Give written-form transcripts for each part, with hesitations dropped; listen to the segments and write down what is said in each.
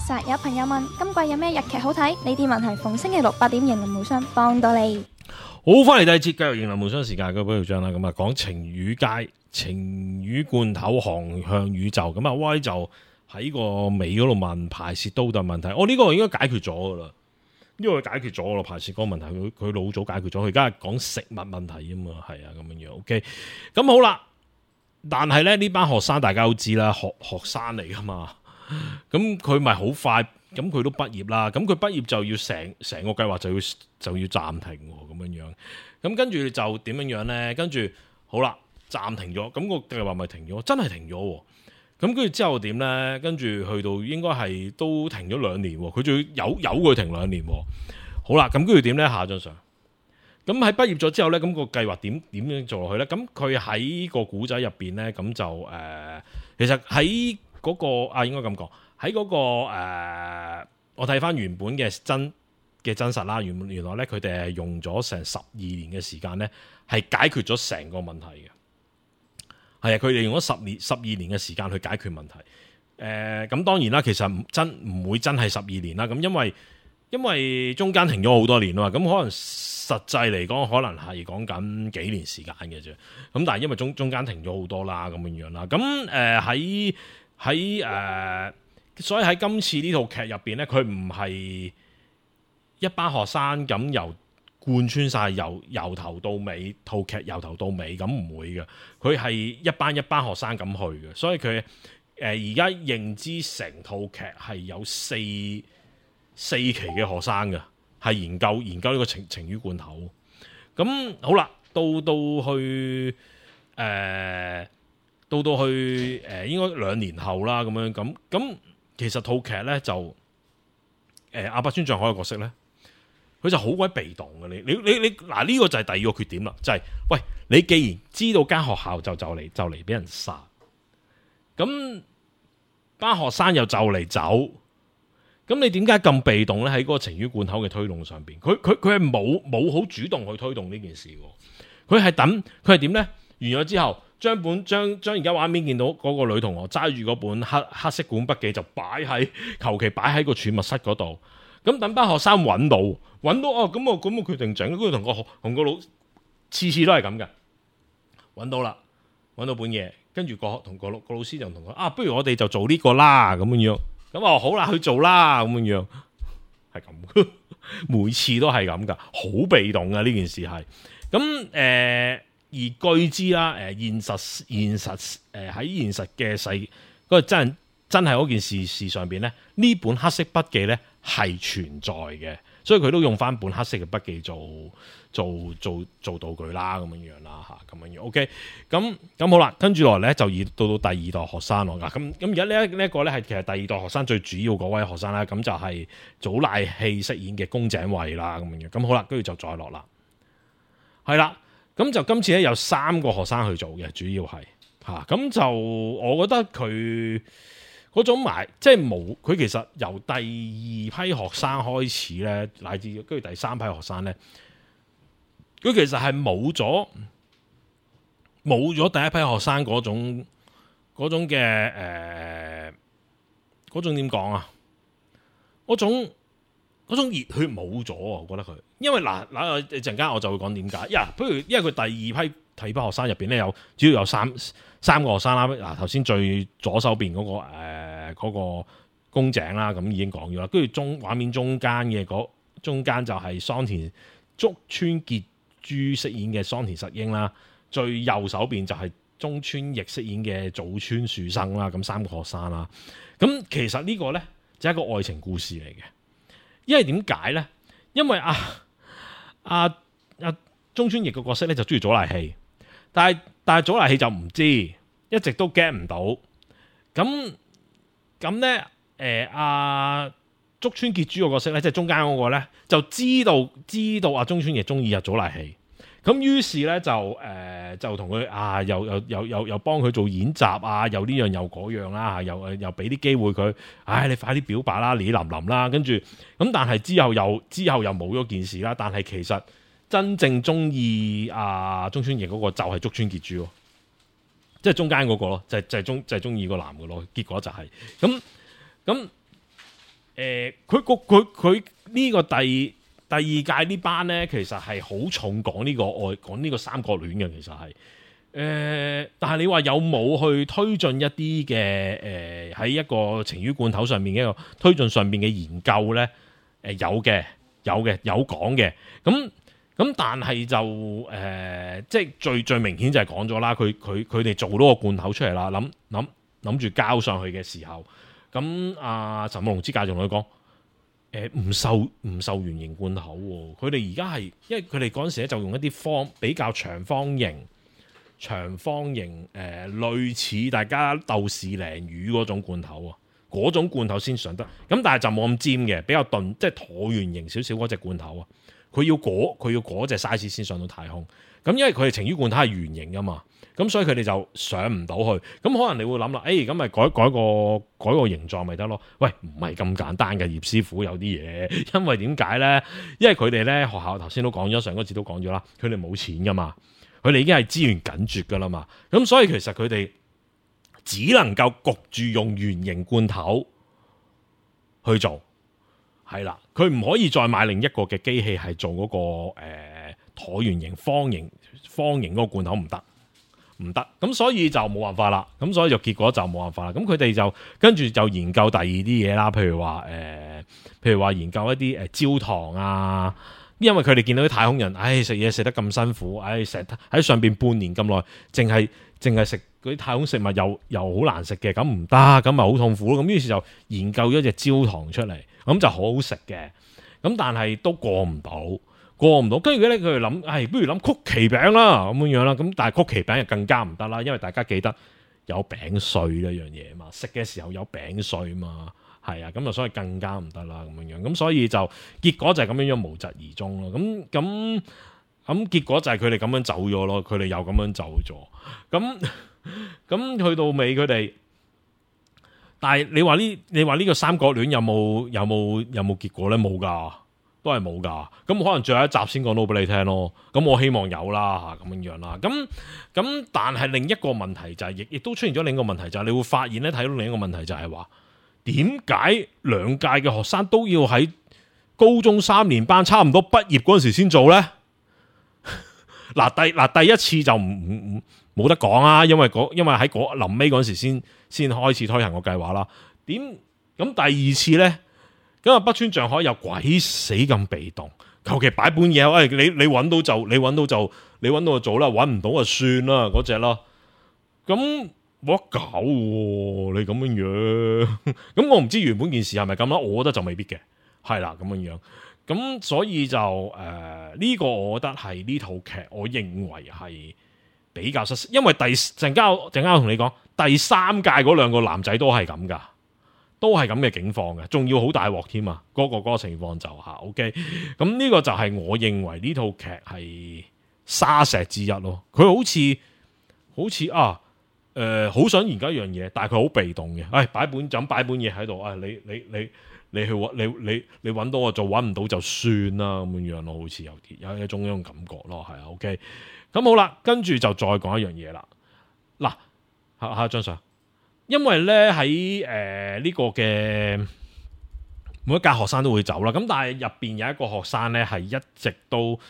實有朋友問今季有咩日劇好睇？呢啲問題逢星期六8點型林無雙幫到你。好，翻嚟第二節繼續型林無雙時間嘅寶條章啦，咁啊講情與街、情與罐頭、航向宇宙，咁啊威就喺個尾嗰度問排泄都嘅問題，呢個應該解決咗噶啦，呢個解決咗咯，排泄嗰個問題，佢老早解決咗，佢而家係講食物問題啊嘛，係啊咁樣樣 ，OK， 咁好啦，但係咧呢班學生大家都知啦，學生嚟噶嘛，咁佢咪好快。咁佢都畢業啦，咁佢畢業就要成個計劃就要暫停咁樣樣，咁跟住就點樣樣咧？跟住好啦，暫停咗，咁個計劃咪停咗，真係停咗。咁跟住之後點咧？跟住去到應該係都停咗2年，佢仲要有佢停2年。好啦，咁跟住點咧？下張相。咁喺畢業咗之後咧，咁個計劃點樣做落去咧？咁佢喺個古仔入邊咧，咁就其實喺嗰個應該咁講。喺嗰個我睇翻原本嘅真實啦，原來咧佢哋係用咗成12年嘅時間咧，係解決咗成個問題嘅。係啊，佢哋用咗12年嘅時間去解決問題。咁當然啦，其實唔會真係12年啦。咁因為中間停咗好多年啊嘛，咁可能實際嚟講，可能係講緊幾年時間嘅啫。咁但係因為中間停咗好多啦，咁樣樣啦。咁喺所以喺今次呢套劇入邊咧，佢唔係一班學生咁由貫穿晒由頭到尾套劇由頭到尾咁唔會嘅，佢係一班學生咁去嘅，所以佢而家認知成套劇係有四期嘅學生嘅，係研究呢個情與罐頭。咁好啦，到去應該2年後啦，咁樣咁。其實套劇咧就阿伯村象海嘅角色咧，佢就好鬼被動嘅。你嗱呢個就係第二個缺點啦，就係喂，你既然知道間學校就嚟俾人殺，咁班學生又就嚟走，咁你點解咁被動咧？喺嗰個情與罐頭嘅推動上邊，佢係冇好主動去推動呢件事喎。佢係點咧？完咗之後。將而家畫面見到嗰個女同學揸住嗰本黑色管筆記就求其擺喺個儲物室嗰度，咁等班學生揾到咁我決定整，跟住同個老次都係咁嘅，揾到本嘢，跟住同個老師就同佢不如我哋就做呢個啦咁樣，咁好啦去做啦咁樣，係咁，每次都係咁噶，好被動噶呢件事係，咁而據知啦，現實喺現實嘅嗰個真係嗰件事上邊咧，呢本黑色筆記咧係存在嘅，所以佢都用翻本黑色嘅筆記做道具啦，咁樣啦嚇，咁樣 OK， 咁好啦，跟住落嚟咧就到第二代學生咯，咁而家呢一個咧係其實第二代學生最主要嗰位學生啦，咁就係祖瀨戲飾演嘅宮井惠啦，咁樣，咁好啦，跟住就再落啦，係啦。咁就今次咧有3個學生去做嘅，主要係咁就我覺得佢嗰種即係冇佢其實由第2批學生開始咧，乃至跟住第3批學生咧，佢其實係冇咗第一批學生嗰種嘅嗰種點講啊？嗰種熱血冇咗啊！我覺得佢，因為嗱陣間我就會講點解。因為佢第二批學生入邊咧主要有三個學生啦。嗱，頭先最左手邊嗰個宮井啦，咁已經講咗啦。跟住畫面中間就係竹村結珠飾演嘅桑田實英啦。最右手邊就係中村奕飾演嘅早川樹生啦。咁3個學生啦。咁其實呢個咧就係一個愛情故事嚟嘅。因為點解咧？因為中村奕個角色咧就中意祖瀨戲，但係祖瀨戲就唔知，一直都 get 唔到。咁咧竹村結珠個角色咧，即係中間嗰個咧，就知道中村奕中意祖瀨戲。咁於是咧就同佢又幫佢做演習啊，又呢樣又嗰樣啦，又俾啲機會佢，你快啲表白啦，你淋啦，跟住咁，但係之後又冇咗件事啦。但係其實真正中意中村奕嗰個就係竹村結珠，即係中間嗰個咯，就係中意個男嘅咯。結果就係咁佢呢個第二屆呢班咧，其實係好重講呢個三角戀嘅，其實係。但係你話有冇去推進一啲嘅喺一個情魚罐頭上面嘅一個推進上面嘅研究咧？有講嘅，咁但係就即係最明顯就係講咗啦，佢哋做到個罐頭出嚟啦，諗住交上去嘅時候，咁陳慕容之介仲同佢講，唔受圓形罐頭喎，佢哋而家係因為佢哋嗰陣時咧就用一啲比較長方形。類似大家豆豉鯪魚嗰種罐頭啊，嗰種罐頭先上得，咁但係就冇咁尖嘅，比較鈍，即係橢圓形少少嗰隻罐頭啊。佢要嗰隻 size 先上到太空，咁因為佢哋情魚罐頭係圓形噶嘛，咁所以佢哋就上唔到去。咁可能你會諗啦，咁咪改個形狀咪得咯？喂，唔係咁簡單嘅，葉師傅有啲嘢，因為點解咧？因為佢哋咧學校頭先都講咗，上嗰次都講咗啦，佢哋冇錢噶嘛。佢哋已經係資源緊絕噶啦嘛，咁所以其實佢哋只能夠焗住用圓形罐頭去做，係啦，佢唔可以再買另一個嘅機器係做嗰個橢圓形、方形嗰個罐頭，唔得，咁所以就冇辦法啦，咁所以就結果就冇辦法啦。咁佢哋就跟住就研究第二啲嘢啦，譬如話研究一啲焦糖啊。因為佢哋見到啲太空人，食嘢食得咁辛苦，成喺上邊半年咁耐，淨係食嗰啲太空食物又好難食嘅，咁唔得，咁咪好痛苦咯。咁於是就研究咗隻焦糖出嚟，咁就好好食嘅。咁但係都過唔到。跟住咧佢哋諗，不如諗曲奇餅啦，咁樣啦。咁但係曲奇餅就更加唔得啦，因為大家記得有餅碎呢樣嘢嘛，食嘅時候有餅碎嘛。係啊，咁啊，所以更加唔得啦，咁樣，咁所以就結果就係咁樣無疾而終咯。咁結果就係佢哋咁樣走咗咯，佢哋又咁樣走咗。咁去到尾佢哋，但係你話呢個三角戀有冇結果咧？冇噶，都係冇噶。咁可能最後一集先講到俾你聽咯。咁我希望有啦嚇，咁樣啦。咁但係另一個問題就係，亦都出現咗另一個問題，就係你會發現咧，睇到另一個問題就係話。點解兩屆嘅學生都要喺高中3年班差唔多畢業嗰陣時先做呢？第一次就冇得講啊，因為喺臨尾嗰陣時先開始推行個計劃啦。咁第二次呢？咁北川匠海又鬼死咁被動，求其擺本嘢，你揾到就做啦，揾唔到就算啦嗰隻啦。咁。冇得搞喎！你咁樣，咁我唔知原本件事係咪咁啦，我覺得就未必嘅，係啦咁樣。咁所以就呢個我覺得係呢套劇，我認為係比較失色，因為陣間我同你講，第3屆嗰2個男仔都係咁噶，都係咁嘅境況嘅，仲要好大鑊添啊！嗰個情況就OK。咁呢個就係我認為呢套劇係沙石之一咯。佢好似好想研究一樣嘢，但係佢好被動嘅。擺本嘢喺度，你去你揾到我做，揾唔到就算啦咁樣咯，好似有一種感覺咯，係啊 OK。咁好啦，跟住就再講一樣嘢啦。嗱，下張相，因為咧喺呢個嘅每一屆學生都會走啦，咁但係入邊有一個學生咧係一直都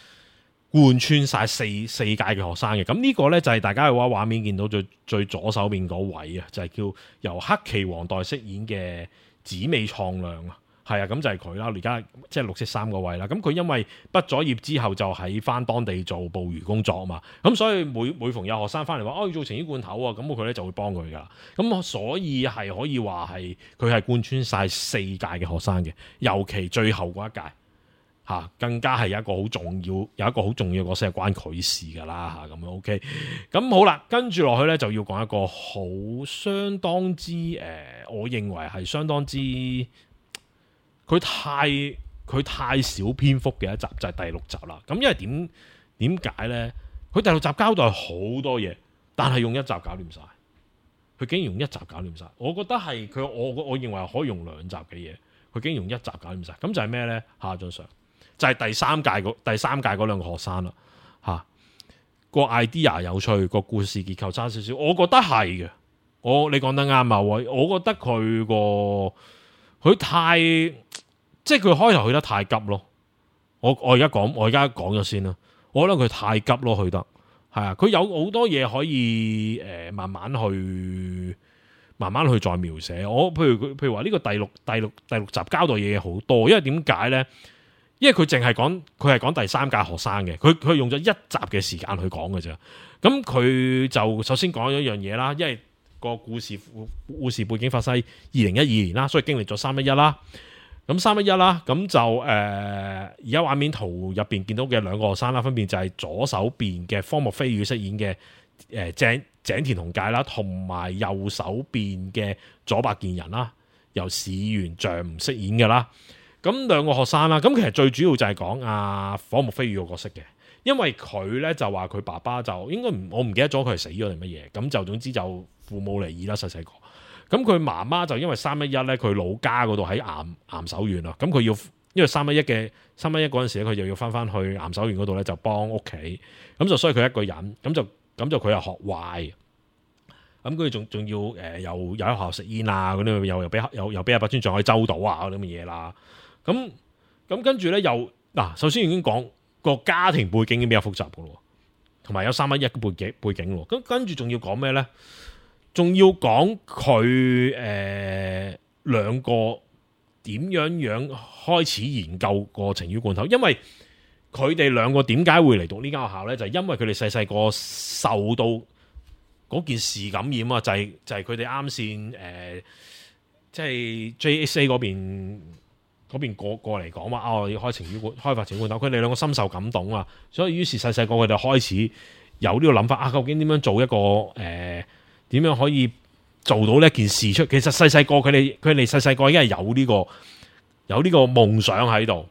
貫穿晒四屆嘅學生嘅，咁呢個呢，就係大家嘅畫面見到最左手邊嗰位啊，就係叫由黑崎皇代飾演嘅紫尾創亮啊，係啊，咁就係佢啦，而家即係綠色衫嗰位啦。咁佢因為畢咗業之後就喺翻當地做捕魚工作啊嘛，咁所以每逢有學生翻嚟話要做情魚罐頭啊，咁佢呢就會幫佢噶。咁所以係可以話係佢係貫穿晒4屆嘅學生嘅，尤其最後嗰一屆。更加係有一個好重要嘅角色係關佢事噶啦咁樣 OK。咁好啦，跟住落去咧就要講一個相當之我認為係相當之佢太少篇幅嘅一集，就係第6集啦。咁因為點解咧？佢第6集交代好多嘢，但係用1集搞掂晒。佢竟然用1集搞掂晒，我覺得係佢我認為可以用2集嘅嘢，佢竟然用1集搞掂晒。咁就係咩咧？下張相。就係第三屆嗰2個學生啦，個 idea 有趣，個故事結構差少少，我覺得係嘅。你講得啱啊，我覺得佢佢太即係佢開頭去得太急咯。我而家講咗先啦。我覺得佢太急咯，去得係啊。佢有好多嘢可以慢慢去再描寫。譬如話呢個第六集交代嘢好多，因為點解咧？因為佢係講第三屆學生嘅，佢用咗一集嘅時間去講嘅啫。咁佢就首先講咗一樣嘢啦，因為個故事背景發生2012年啦，所以經歷咗311啦。咁311啦，咁就而家畫面圖入邊見到嘅兩個學生啦，分別就係左手邊嘅荒木飛羽飾演嘅井田雄介啦，同埋右手邊嘅佐伯健人啦，由市原象唔飾演嘅啦。咁兩個學生啦，咁其實最主要就係講荒木飛羽個角色嘅，因為佢咧就話佢爸爸就應該我唔記得咗佢係死咗定乜嘢，咁就總之就父母離異啦，細細個。咁佢媽媽就因為311咧，佢老家嗰度喺岩手縣啊，咁佢要因為311嗰陣時咧，佢就要翻去岩手縣嗰度咧就幫屋企，咁就所以佢一個人，咁就佢又學壞，咁佢仲要又喺學校食煙啊嗰啲，又俾阿北村匠海周到啊嗰啲咁嘅嘢啦，咁跟住咧又首先已經講個家庭背景已經比較複雜噶咯，同埋有311嘅背景咯，咁跟住仲要講咩咧？仲要講佢兩個點樣開始研究個情魚罐頭，因為佢哋兩個點解會嚟讀呢間學校咧？就係因為佢哋細個受到嗰件事感染啊！就係佢哋啱先即係 JSA 嗰邊過嚟講話要開發情魚罐頭，佢哋兩個深受感動啊！所以於是細個佢哋開始有呢個諗法究竟點樣做一個點樣可以做到呢件事出？其實細個佢哋細個已經係有呢個夢想喺度。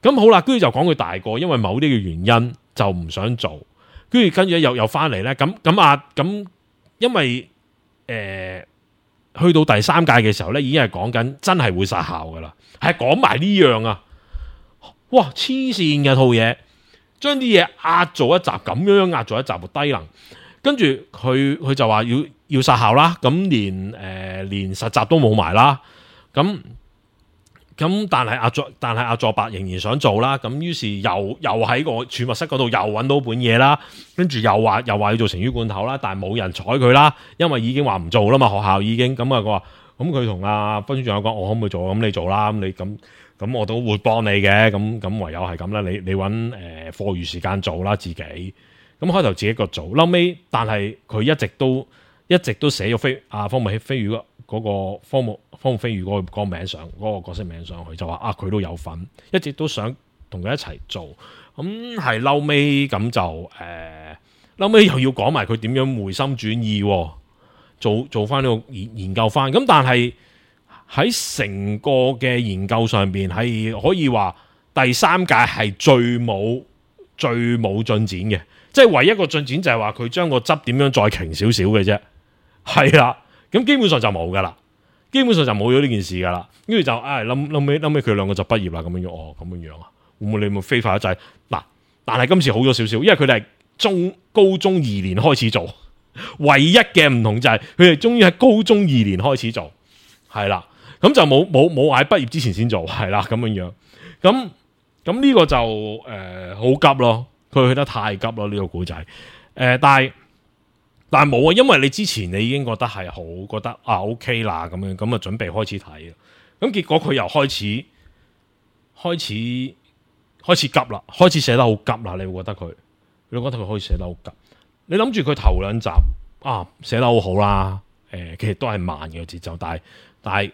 咁好啦，跟住就講佢大個，因為某啲嘅原因就唔想做。跟住又翻嚟咧。咁因為去到第3屆嘅時候咧，已經係講緊真係會殺校噶啦，係講埋呢樣啊！哇，黐線嘅套嘢，將啲嘢壓做一集咁樣壓做一集，低能。跟住佢就話要殺校啦，咁連實習都冇埋啦，咁但係阿佐伯仍然想做啦，咁於是又喺個儲物室嗰度又揾到本嘢啦，跟住又話要做情魚罐頭啦，但係冇人睬佢啦，因為已經話唔做啦嘛，學校已經咁佢話咁佢同阿分署長講，我可唔可以做？咁你做啦，咁你咁我都會幫你嘅，咁唯有係咁啦，你揾課餘時間做啦自己。咁開頭自己一個做，後尾但係佢一直都寫咗荒木飛羽嗰個荒木飛羽嗰個名上嗰個角色名上去，就話佢都有份，一直都想同佢一齊做。咁係後尾咁就後尾又要講埋佢點樣回心轉意，做翻呢個研究翻。咁但係喺成個嘅研究上邊係可以話第3屆係最冇進展嘅。即係唯一一個進展就係話佢將個汁點樣再瓊少少嘅啫，係啦，咁基本上就冇噶啦，基本上就冇咗呢件事噶啦，跟住就諗尾佢兩個就畢業啦，咁樣咁樣啊，會唔會你咪飛快一滯嗱？但係今次好咗少少，因為佢哋係高中2年開始做，唯一嘅唔同就係佢哋終於喺高中2年開始做，係啦，咁就冇喺畢業之前先做，係啦咁樣，咁呢個就好急咯。佢去得太急咯，呢個故仔，但係冇啊，因為你之前你已經覺得係好，覺得OK 啦，咁啊準備開始睇，咁結果佢又開始急啦，開始寫得好急啦，你會覺得佢開始寫得好急，你諗住佢頭2集寫得好好啦，其實都係慢嘅節奏，但係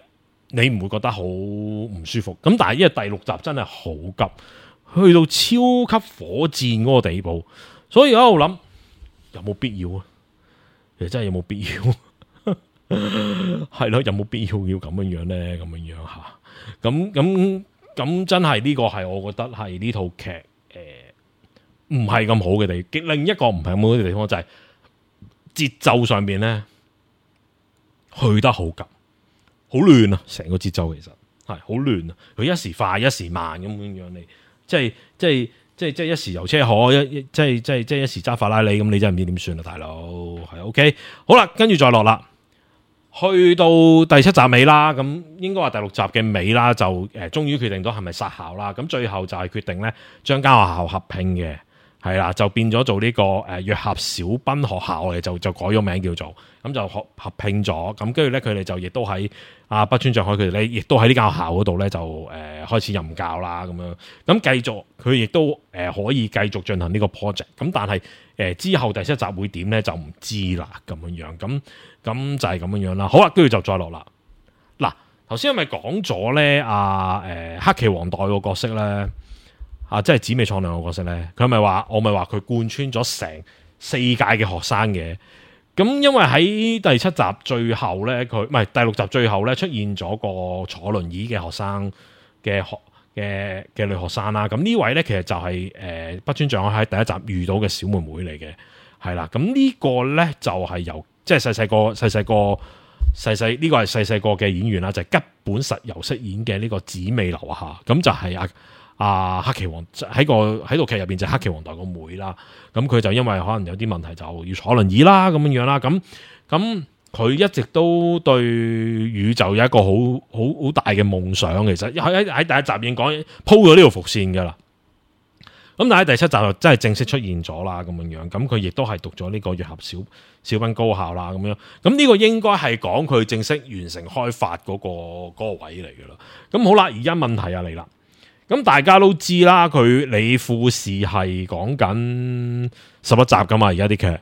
你唔會覺得好唔舒服，咁但係因為第6集真係好急。去到超級火箭嗰個地步，所以我喺度諗有冇必要啊？其實真係有冇必要？係咯，有冇必要咁樣咧？咁樣吓，咁真係呢個係我覺得係呢套劇唔係咁好嘅地方。另一個唔係咁好嘅地方就係節奏上邊咧去得好急，好亂啊！成個節奏其實係好亂啊！佢一時快一時慢咁樣你。即係一時遊車河，即係一時揸法拉利咁，你真係唔知點算啦，大佬係 OK。好啦，跟住再落啦，去到第7集尾啦，咁應該話第6集嘅尾啦，就終於決定到係咪殺校啦。咁最後就係決定咧將間學校合併嘅，係啦，就變咗做呢個約合小賓學校嘅，就改咗名叫做，咁就合併咗。咁跟住咧佢哋就亦都喺北川匠海佢哋咧，亦都喺呢間學校嗰度咧就開始任教啦咁樣。咁繼續佢亦都可以繼續進行呢個 project。咁但係之後第7集會點咧就唔知啦咁樣。咁就係咁樣啦。好啦，跟住就再落啦。嗱，頭先係咪講咗咧？黑崎皇代個角色咧，即係紫美創亮個角色咧，佢咪話我咪話佢貫穿咗成4屆嘅學生嘅。咁因為喺第7集最後咧，佢唔係第6集最後咧出現咗個坐輪椅嘅學生嘅女學生啦。咁呢位咧其實就係北川匠海喺第1集遇到嘅小妹妹嚟嘅，係啦。咁呢個咧就係由即係細呢個係細個嘅演員啦，就係吉本實由飾演嘅呢個紫美留下。咁就係黑崎皇喺套劇入邊就係黑崎皇代個妹啦。咁佢就因為可能有啲問題就要坐輪椅啦咁樣啦。咁佢一直都對宇宙有一個好大嘅夢想。其實喺第1集已經講鋪咗呢條伏線噶啦。咁但係喺第7集就真係正式出現咗啦咁樣。咁佢亦都係讀咗呢個約合小賓高校啦咁樣。咁呢個應該係講佢正式完成開發嗰個位嚟噶啦。咁好啦，而家問題嚟啦。咁大家都知啦，你富士係講緊11集噶嘛，而家啲劇。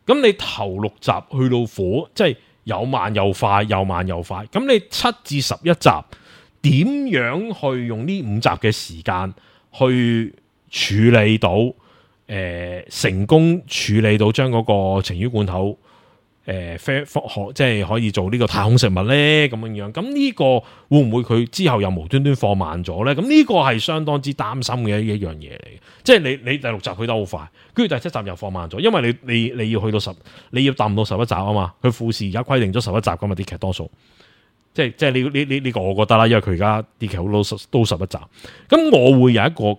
咁你頭6集去到火，即係有慢又快，有慢又快。咁你7至11集點樣去用呢5集嘅時間去處理到成功處理到將嗰個情魚罐頭即係可以做呢個太空食物咧咁樣。咁呢個會唔會佢之後又無端端放慢咗咧？咁呢個係相當之擔心嘅一樣嘢嚟嘅。即係你第6集去得好快，跟住第7集又放慢咗，因為你要去到你要達到11集啊嘛。佢富士而家規定咗11集㗎嘛，啲劇多數。即係呢個我覺得啦，因為佢而家啲劇好都11集。咁我會有一個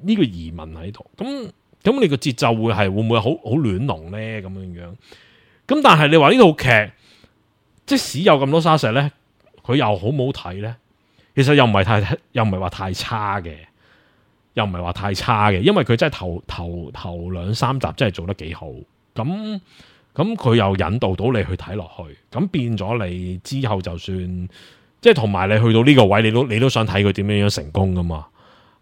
呢個疑問喺度。咁你個節奏會唔會好亂龍咧？咁樣。咁但係你話呢套劇即使有咁多沙石咧，佢又好唔好睇咧？其實又唔係話太差嘅，因為佢真係頭2、3集真係做得幾好。咁佢又引導到你去睇落去，咁變咗你之後就算即係同埋你去到呢個位，你都想睇佢點樣成功噶嘛？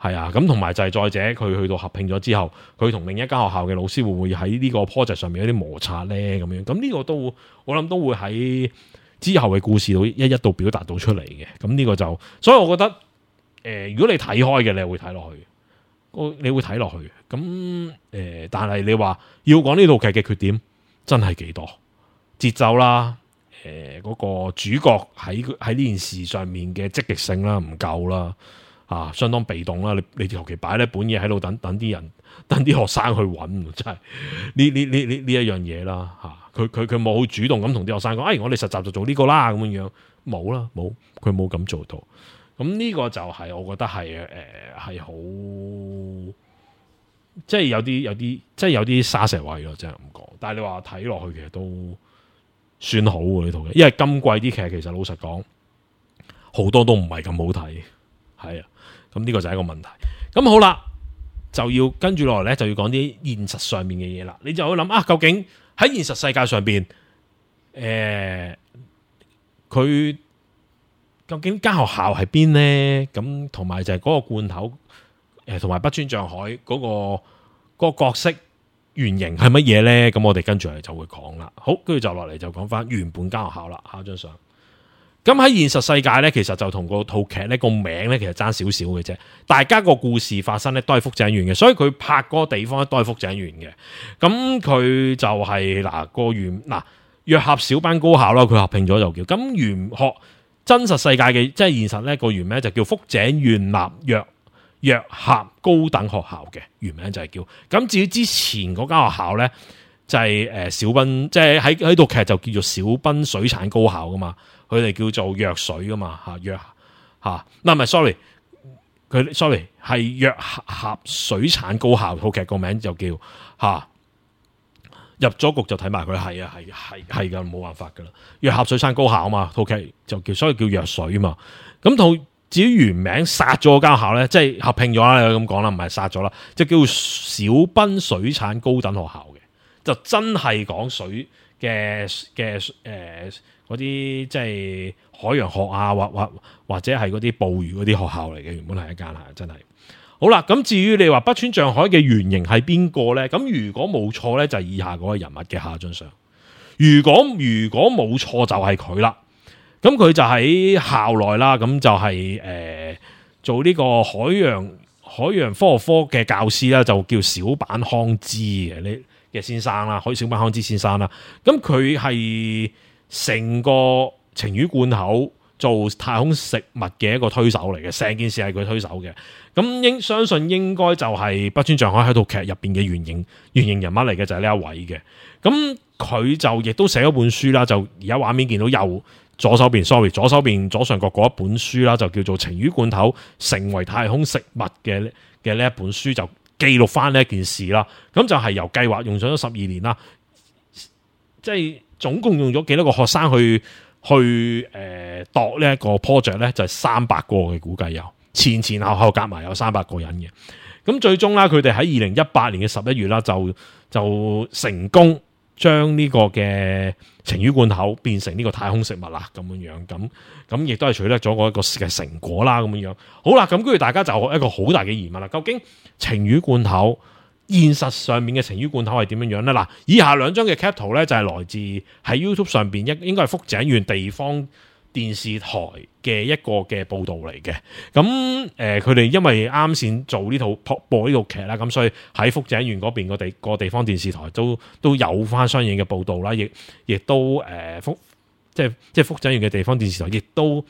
係啊，咁同埋就係再者，佢去到合併咗之後，佢同另一間學校嘅老師會唔會喺呢個 project 上面有啲摩擦咧？咁樣，咁呢個我諗都會喺之後嘅故事度一度表達到出嚟嘅。咁呢個就，所以我覺得，如果你睇開嘅，你會睇落去，你會睇落去。咁但係你話要講呢套劇嘅缺點，真係幾多？節奏啦，嗰個主角喺呢件事上面嘅積極性啦，唔夠啦。相當被動啦！你求其擺呢本嘢喺度等啲人，等啲學生去揾，真係呢一樣嘢啦嚇。佢冇好主動咁同啲學生講，我哋實習就做呢個啦咁樣，冇啦，佢冇咁做到。咁呢個就係我覺得係好，即係有啲沙石位咯，真係咁講。但係你話睇落去其實都算好喎呢套劇，因為今季啲劇其實老實講好多都唔係咁好睇，係啊。咁呢個就係一個問題。咁好啦，就要跟住落嚟咧，就要講啲現實上面嘅嘢啦。你就會諗究竟喺現實世界上邊，佢究竟間學校係邊呢？咁同埋就係嗰個罐頭，同埋北川匠海嗰個角色原型係乜嘢咧？咁我哋跟住嚟就會講啦。好，跟住就落嚟就講翻原本間學校啦。下張相。咁喺現實世界咧，其實就同個套劇咧個名咧，其實爭少少嘅啫。大家個故事發生咧都係福井縣嘅，所以佢拍嗰個地方咧都係福井縣嘅。咁佢就係約合小賓高校啦，佢合併咗就叫。咁原學真實世界嘅即係現實咧個原名就叫福井縣立約合高等學校嘅原名就係叫。咁至於之前嗰間學校咧就係小賓，即係喺套劇就叫做小賓水產高校噶嘛。佢哋叫做約水噶嘛唔係 sorry 係約合水產高校，套劇個名就叫入咗局就睇埋佢，係噶，冇辦法噶啦。藥俠水山高校啊嘛，套劇就所以叫藥水啊嘛。咁至於原名殺咗間校咧，即係合併咗啦，咁講啦，唔係殺咗啦，即係叫小濱水產高等學校嘅，就真係講水嘅嗰啲即係海洋學啊，或者係嗰啲捕魚嗰啲學校嚟嘅，原本係一間係真係。好啦，咁至於你話北川象海嘅原型係邊個咧？咁如果冇錯咧，就係以下嗰個人物嘅下張相。如果冇錯就係佢啦。咁佢就喺校內啦，咁就係做呢個海洋科學科嘅教師啦，就叫小坂康之嘅先生啦，小坂康之先生啦。咁佢係成個晴雨罐頭做太空食物嘅一個推手嚟嘅，成件事係佢推手嘅。咁相信應該就係北川象海喺套劇入邊嘅原型人物嚟嘅，就係呢一位嘅。咁佢就亦都寫咗本書啦，就而家畫面見到左手邊左上角嗰一本書啦，就叫做《晴雨罐頭成為太空食物》嘅呢一本書，就記錄翻呢一件事啦。咁就係由計劃用咗12年啦，即係總共用咗幾多個學生去度呢一個 project 咧，就係300個嘅，估計有前後夾埋有300個人嘅。咁最終啦，佢哋喺2018年嘅11月啦，就成功將呢個嘅晴雨罐頭變成呢個太空食物啦，咁樣咁亦都係取得咗嗰一個嘅成果啦，咁樣。好啦，咁跟住大家就一個好大嘅疑問啦，究竟晴雨罐頭現實上面嘅晴雨罐頭係點樣樣咧？嗱，以下兩張嘅 cap 圖咧就係來自喺 YouTube 上邊應該係福井縣地方電視台嘅一個嘅報導嚟嘅。咁佢哋因為啱先做呢套播呢套劇啦，咁所以喺福井縣嗰邊個地方電視台都有翻相應嘅報導啦，亦都即係福井縣嘅地方電視台亦都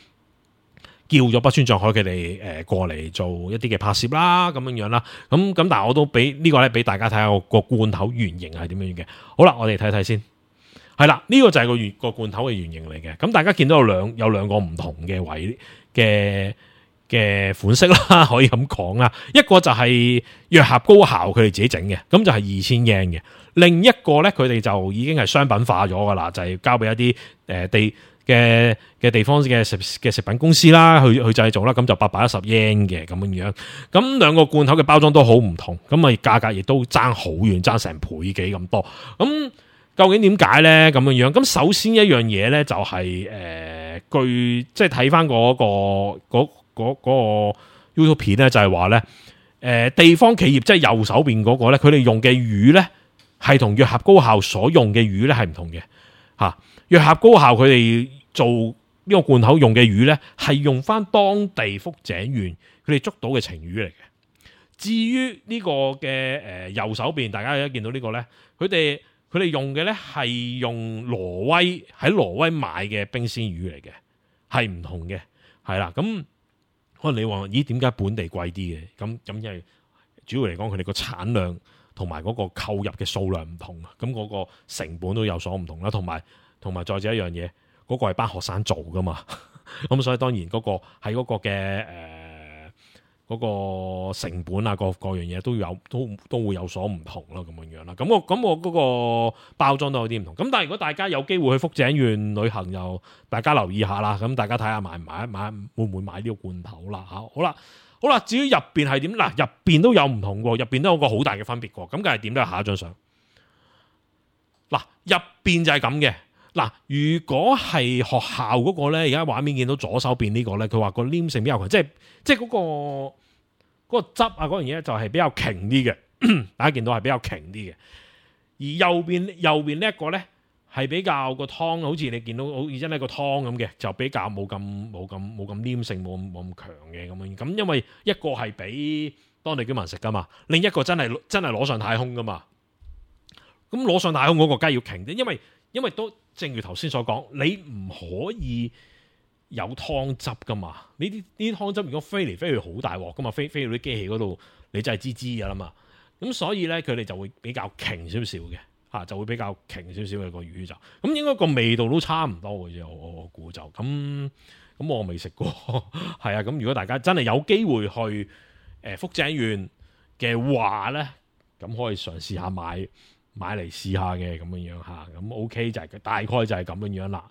叫咗北川象海佢哋過嚟做一啲嘅拍攝啦，咁樣啦。咁但係我都俾呢個咧俾大家睇下個罐頭原型係點樣嘅。好啦，我哋睇睇先。係啦，呢個就係個罐頭嘅原型嚟嘅。咁大家見到有兩個唔同嘅位嘅款式啦，可以咁講啦。一個就係藥俠高校佢哋自己整嘅，咁就係2000 yen 嘅。另一個咧，佢哋就已經係商品化咗噶啦，就係交俾一啲地方嘅食品公司啦，去製造啦，咁就810 yen 嘅咁樣。咁兩個罐頭嘅包裝都好唔同，咁啊價格亦都爭好遠，爭成倍幾咁多。咁究竟點解咧？咁樣咁首先一樣嘢咧，就係據即係睇翻嗰個 YouTube 片咧，就係話咧，地方企業即係右手邊嗰個咧，佢哋用嘅魚咧係同藥俠高校所用嘅魚咧係唔同嘅嚇。藥俠高校佢哋做呢個罐頭用嘅魚咧，係用翻當地福井縣佢哋捉到嘅晴雨嚟嘅。至於呢個嘅右手邊，大家而家見到呢個咧，佢哋用嘅咧係用喺挪威買嘅冰鮮魚嚟嘅，係唔同嘅，係啦。咁可能你話咦，點解本地貴啲嘅？咁因為主要嚟講，佢哋個產量同埋嗰個購入嘅數量唔同，咁嗰個成本都有所唔同啦。同埋再者一樣嘢，嗰個係班學生做噶嘛，咁所以當然嗰個喺嗰個嘅嗰個成本啊，各樣嘢都會有所唔同咯，咁樣啦。咁我嗰個包裝都有啲唔同。咁但係如果大家有機會去福井縣旅行，又大家留意下啦。咁大家睇下買會唔會買呢個罐頭啦？好啦，至於入邊係點？嗱，入邊都有唔同喎，入邊都有個好大嘅分別喎。咁梗係點都係下一張相。嗱，入邊就係咁嘅。嗱，如果係學校嗰個咧，而家畫面見到左手邊呢個咧，佢話個黏性比較強，即係嗰個汁啊嗰樣嘢就係比較勁啲嘅，大家見到係比較勁啲嘅。而右邊呢一個咧係比較個湯，好似你見到好似真係個湯咁嘅，就比較冇咁黏性，冇咁強嘅咁樣。咁因為一個係俾當地居民食噶嘛，另一個真係攞上太空噶嘛。咁攞上太空嗰個梗係要勁啲，因為都正如頭先所講，你唔可以有湯汁噶嘛。呢啲湯汁如果飛嚟飛去好大鑊噶嘛，飛到啲機器嗰度，你真係知噶啦嘛。咁所以咧，佢哋就會比較勁少少嘅嚇，就會比較勁少少嘅個魚就咁，應該個味道都差唔多嘅啫。我估就咁我未食過係啊。咁如果大家真係有機會去福井縣嘅話咧，咁可以嘗試下買買嚟試下嘅咁樣樣嚇，咁 OK 就係大概就係咁樣樣啦，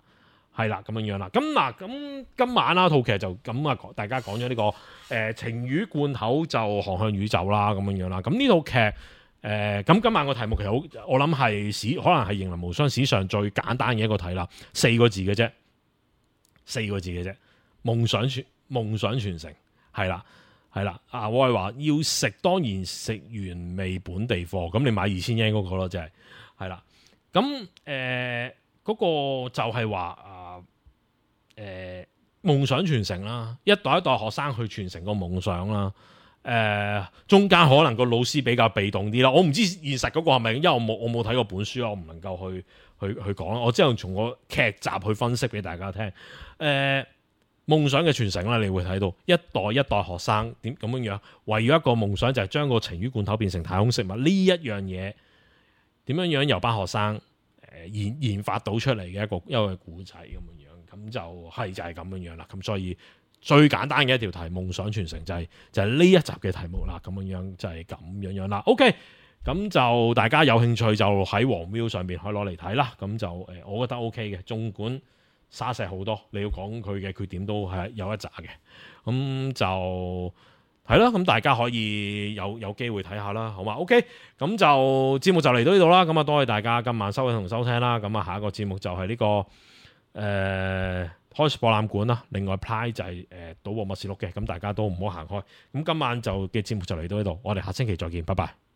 係啦咁樣樣啦。咁嗱，咁今晚啦套劇就咁啊，大家講咗呢個情魚罐頭就航向宇宙啦咁樣樣啦。咁呢套劇咁今晚個題目其實好，我諗係可能係《形靈無雙》史上最簡單嘅一個題啦，4個字嘅啫，4個字嘅啫，夢想傳承係啦。係啦，我係話要食，當然食原味本地貨，咁你買2000yen嗰個咯，就係啦。咁嗰個就係話夢想傳承啦，一代一代學生去傳承個夢想啦。中間可能個老師比較被動啲啦，我唔知現實嗰個係咪，因為我冇睇過本書啦，我唔能夠去講啦。我只係從個劇集去分析俾大家聽。夢想嘅傳承啦，你會睇到一代一代學生點咁樣為咗一個夢想，就係將個情魚罐頭變成太空食物呢一樣嘢，點樣由班學生研發到出嚟嘅一個故仔咁樣，咁就係咁樣啦。咁所以最簡單嘅一條題，夢想傳承就係呢一集嘅題目啦。咁樣就係咁樣啦。OK，咁就大家有興趣就喺黃 Viu 上邊可以攞嚟睇啦。咁就我覺得 OK 嘅，縱管沙石好多，你要講佢嘅缺點都係有一紮嘅，咁就係啦。咁大家可以有機會睇下啦，好嘛 ？OK，咁就節目就嚟到呢度啦。咁啊，多謝大家今晚收睇同收聽啦。咁啊，下一個節目就係呢個開博覽館啦。另外 Play 就係賭博默示錄嘅，咁大家都唔好行開。咁今晚就嘅節目就嚟到呢度，我哋下星期再見，拜拜。